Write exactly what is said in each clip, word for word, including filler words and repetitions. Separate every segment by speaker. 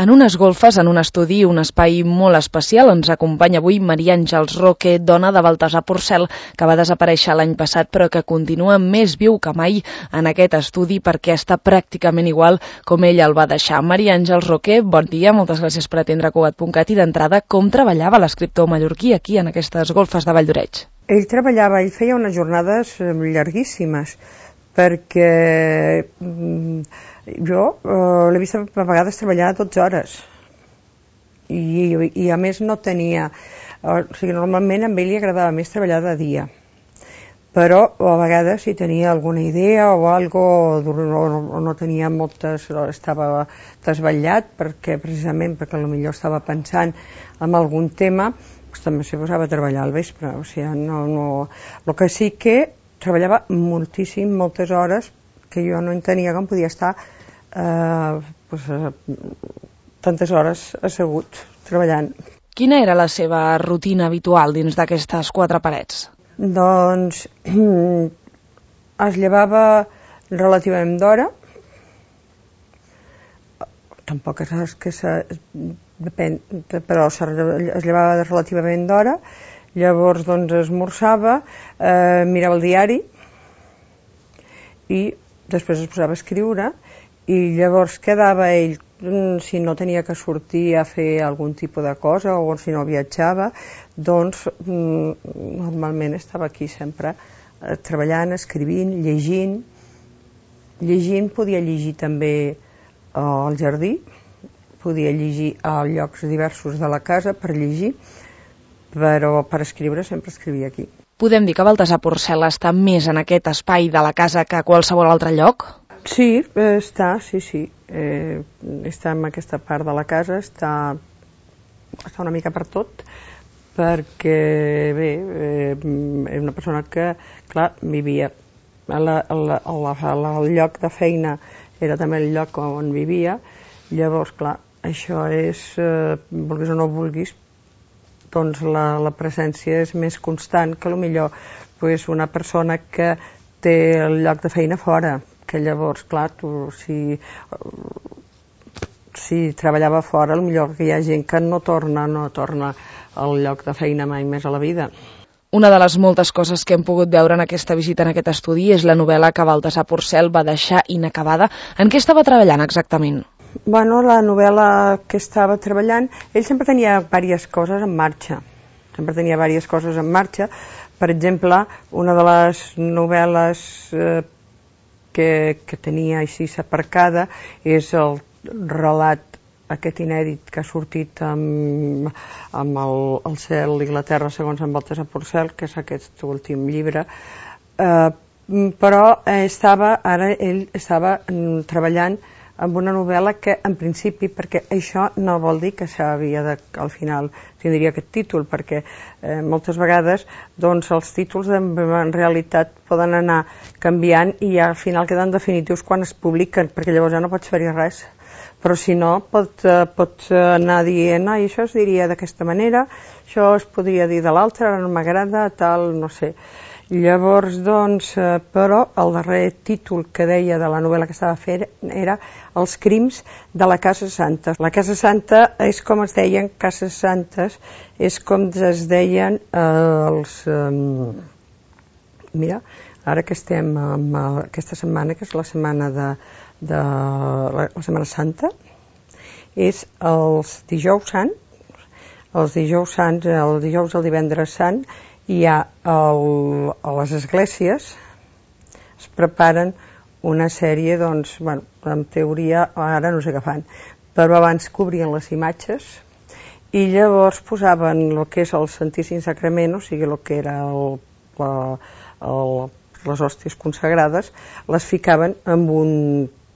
Speaker 1: En unes golfes, en un estudi, un espai molt especial, ens acompanya avui Maria Àngels Roque, dona de Baltasar Porcel, que va desaparèixer l'any passat però que continua més viu que mai en aquest estudi perquè està pràcticament igual com ell el va deixar. Maria Àngels Roque, bon dia, moltes gràcies per atendre Cugat punt cat i d'entrada, com treballava l'escriptor mallorquí aquí en aquestes golfes de Valldoreix?
Speaker 2: Ell treballava, ell feia unes jornades llarguíssimes, perquè jo eh, l'he vist a vegades treballar dotze hores i, i a més no tenia, o sigui, normalment a ell li agradava més treballar de dia, però a vegades si tenia alguna idea o algo, o no tenia moltes, estava desvetllat perquè precisament perquè potser estava pensant en algun tema, doncs també s'hi posava a treballar al vespre. O sigui, no, no... El que sí que treballava moltíssim, moltes hores, que jo no entenia com podia estar eh, pues, eh, tantes hores assegut, treballant.
Speaker 1: Quina era la seva rutina habitual dins d'aquestes quatre parets?
Speaker 2: Doncs es llevava relativament d'hora, tampoc és que se, depèn, però es llevava relativament d'hora. Llavors doncs esmorzava, eh, mirava el diari i després es posava a escriure i llavors quedava ell, si no tenia que sortir a fer algun tipus de cosa o si no viatjava, doncs normalment estava aquí sempre eh, treballant, escrivint, llegint. Llegint podia llegir també eh, al jardí, podia llegir a llocs diversos de la casa per llegir, però per escriure sempre escrivia aquí.
Speaker 1: Podem dir que Baltasar Porcel està més en aquest espai de la casa que a qualsevol altre lloc?
Speaker 2: Sí, està, sí, sí. Eh, està en aquesta part de la casa, està, està una mica per tot, perquè, bé, eh, és una persona que, clar, vivia. El, el, el, el lloc de feina era també el lloc on vivia, llavors, clar, això és, eh, vulguis o no vulguis, doncs la, la presència és més constant que potser pues, una persona que té el lloc de feina fora, que llavors, clar, tu, si, si treballava fora, potser que hi ha gent que no torna, no torna al lloc de feina mai més a la vida.
Speaker 1: Una de les moltes coses que hem pogut veure en aquesta visita en aquest estudi és la novel·la que Baltasar Porcel va deixar inacabada. En què estava treballant exactament?
Speaker 2: Bueno, la novel·la que estava treballant, ell sempre tenia diverses coses en marxa, sempre tenia diverses coses en marxa. Per exemple, una de les novel·les eh, que, que tenia així aparcada és el relat aquest inèdit que ha sortit amb, amb el, el cel i la terra segons en Baltasar Porcel, que és aquest últim llibre, eh, però estava, ara ell estava mm, treballant amb una novel·la que, en principi, perquè això no vol dir que s'havia de, al final tindria aquest títol, perquè eh, moltes vegades doncs, els títols en, en realitat poden anar canviant i al final queden definitius quan es publiquen, perquè llavors ja no pots fer-hi res. Però si no, pot, eh, pot anar dient, ah, això es diria d'aquesta manera, això es podria dir de l'altra, no m'agrada, tal, no sé. Llavors, doncs, eh, però el darrer títol que deia de la novel·la que estava fent era Els crims de la Casa Santa. La Casa Santa és com es deien Cases Santes, és com es deien eh, els... Eh, mira, ara que estem amb aquesta setmana, que és la setmana de, de la, la Setmana Santa, és els dijous sant, els dijous sants, el dijous el divendres sant, hi ha el, a les esglésies es preparen una sèrie, doncs, bueno, en teoria ara no sé què fan, però abans cobrien les imatges i llavors posaven el que és el Santíssim Sacrament, o sigui el que era el, la, el, les hòsties consagrades, les ficaven amb un,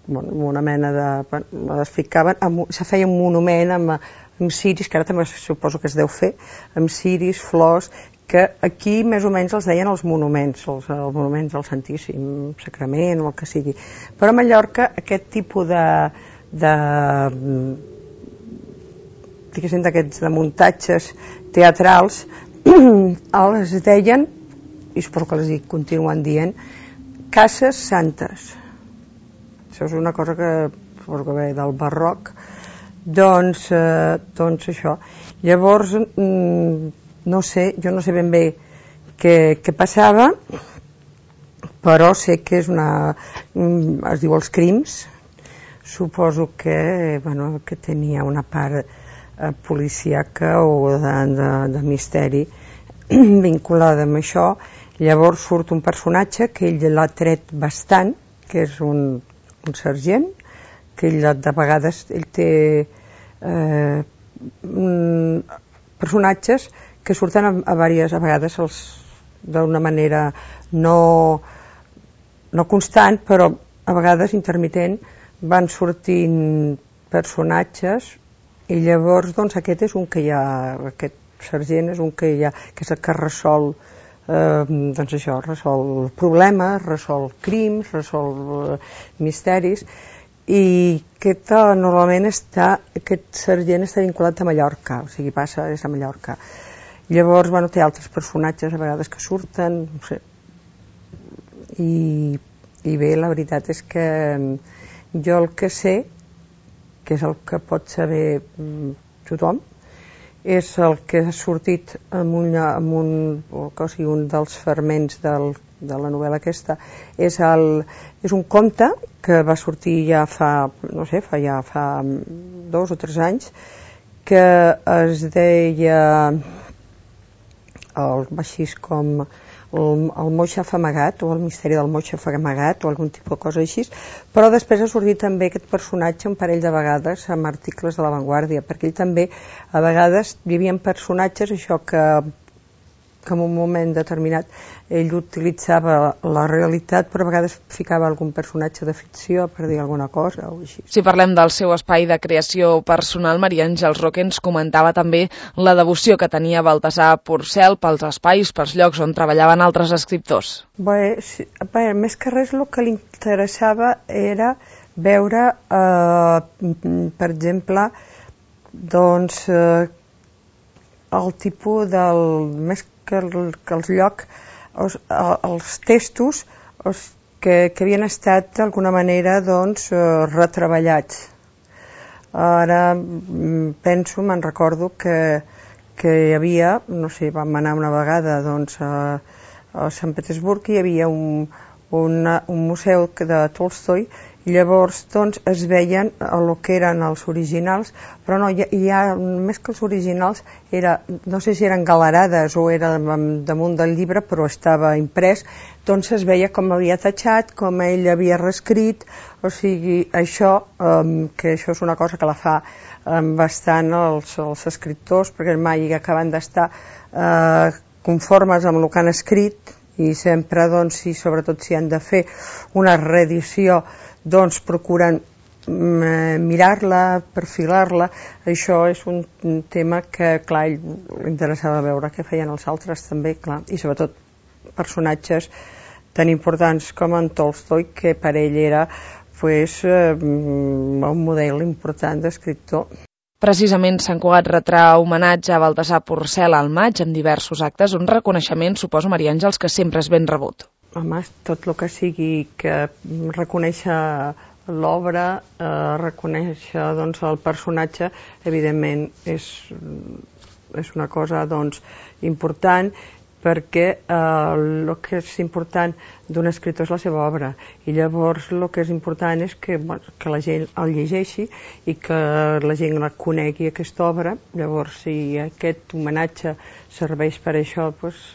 Speaker 2: bueno, amb una mena de, bueno, les ficaven amb, se feia un monument amb, amb ciris, que ara també suposo que es deu fer, amb ciris, flors, que aquí més o menys els deien els monuments, els, els monuments del Santíssim Sacrament o el que sigui. Però a Mallorca aquest tipus de, de diguéssim d'aquests de muntatges teatrals els deien, i suposo que els continuen dient, cases santes. Això és una cosa que suposo que ve del barroc, Doncs, eh, doncs això. Llavors, mm, no sé, jo no sé ben bé què, què passava, però sé que és una... es diu Els Crims. Suposo que, bueno, que tenia una part eh, policíaca o de, de, de misteri vinculada amb això. Llavors surt un personatge que ell l'ha tret bastant, que és un, un sergent, que ell de vegades ell té eh, personatges que surten a, a, diverses, a vegades d'una manera no, no constant, però a vegades intermitent, van sortint personatges i llavors doncs aquest és un que hi ha, aquest sergent és un que hi ha, que és el que resol eh, doncs això, resol problemes, resol crims, resol eh, misteris, i aquest eh, normalment està, aquest sergent està vinculat a Mallorca, o sigui passa des de Mallorca. Llavors, bueno, té altres personatges a vegades que surten, no sé, i, i bé, la veritat és que jo el que sé, que és el que pot saber tothom, és el que ha sortit en un, en un, o sigui, un dels fragments del, de la novel·la aquesta, és, el, és un conte que va sortir ja fa, no sé, fa ja fa dos o tres anys, que es deia el, així com el, el moixaf amagat, o el misteri del moixaf amagat, o algun tipus de cosa així, però després ha sortit també aquest personatge un parell de vegades amb articles de La Vanguardia, perquè ell també, a vegades, hi havia personatges, això que, que en un moment determinat ell utilitzava la realitat, però a vegades ficava algun personatge de ficció per dir alguna cosa o així.
Speaker 1: Si parlem del seu espai de creació personal, Maria Àngels Roque ens comentava també la devoció que tenia Baltasar Porcel pels espais, pels llocs on treballaven altres escriptors.
Speaker 2: Bé, sí, bé, més que res el que li interessava era veure, eh, per exemple, doncs, eh, el tipus del... més que, el, que els llocs, els, els textos els, que, que havien estat d'alguna manera doncs, retreballats. Ara penso, me'n recordo que, que hi havia, no sé, vam anar una vegada doncs, a, a Sant Petersburg, hi havia un, una, un museu de Tolstoi, i llavors doncs, es veien el que eren els originals, però no, hi ha, hi ha més que els originals, era, no sé si eren galerades o era damunt del llibre, però estava imprès, doncs es veia com havia tatxat, com ell havia reescrit, o sigui, això, um, que això és una cosa que la fa um, bastant els, els escriptors, perquè mai acaben d'estar uh, conformes amb el que han escrit, i sempre, doncs, i sobretot si han de fer una reedició, doncs procuren mirar-la, perfilar-la. Això és un tema que, clar, ell interessava veure què feien els altres també, clar, i sobretot personatges tan importants com en Tolstoi, que per ell era pues, un model important d'escriptor.
Speaker 1: Precisament Sant Cugat retrà homenatge a Baltasar Porcel al maig amb diversos actes, un reconeixement, suposo, Maria Àngels, que sempre és ben rebut.
Speaker 2: Home, tot el que sigui que reconèixer l'obra, eh, reconèixer doncs, el personatge, evidentment és, és una cosa doncs, important, perquè eh, el que és important d'un escriptor és la seva obra, i llavors el que és important és que, bueno, que la gent el llegeixi i que la gent la conegui, aquesta obra. Llavors, si aquest homenatge serveix per això, doncs,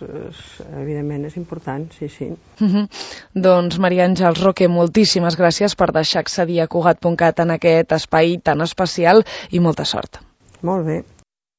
Speaker 2: evidentment és important, sí, sí.
Speaker 1: Uh-huh. Doncs, Maria Àngels Roque, moltíssimes gràcies per deixar accedir a Cugat punt cat en aquest espai tan especial i molta sort.
Speaker 2: Molt bé.